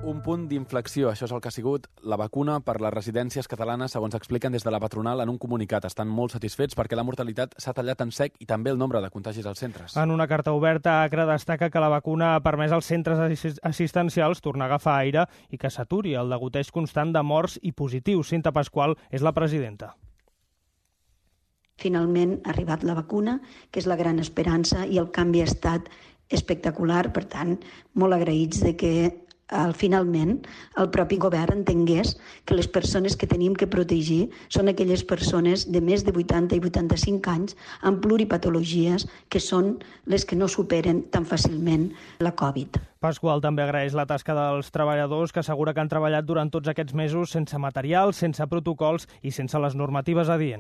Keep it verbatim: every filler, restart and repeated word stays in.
Un punt d'inflexió, això és el que ha sigut la vacuna per les residències catalanes, segons expliquen des de la patronal en un comunicat. Estan molt satisfets perquè la mortalitat s'ha tallat en sec i també el nombre de contagis als centres. En una carta oberta, Acra destaca que la vacuna ha permès als centres assistencials tornar a agafar aire i que s'aturi el degoteig constant de morts i positius. Cinta Pasqual és la presidenta. Finalment ha arribat la vacuna, que és la gran esperança, i el canvi ha estat espectacular. Per tant, molt agraïts de que Al, finalment, el propi govern entengués que les persones que tenim que protegir són aquelles persones de més de vuitanta i vuitanta-cinc anys amb pluripatologies que són les que no superen tan fàcilment la Covid. Pasqual també agraeix la tasca dels treballadors que assegura que han treballat durant tots aquests mesos sense material, sense protocols i sense les normatives adients.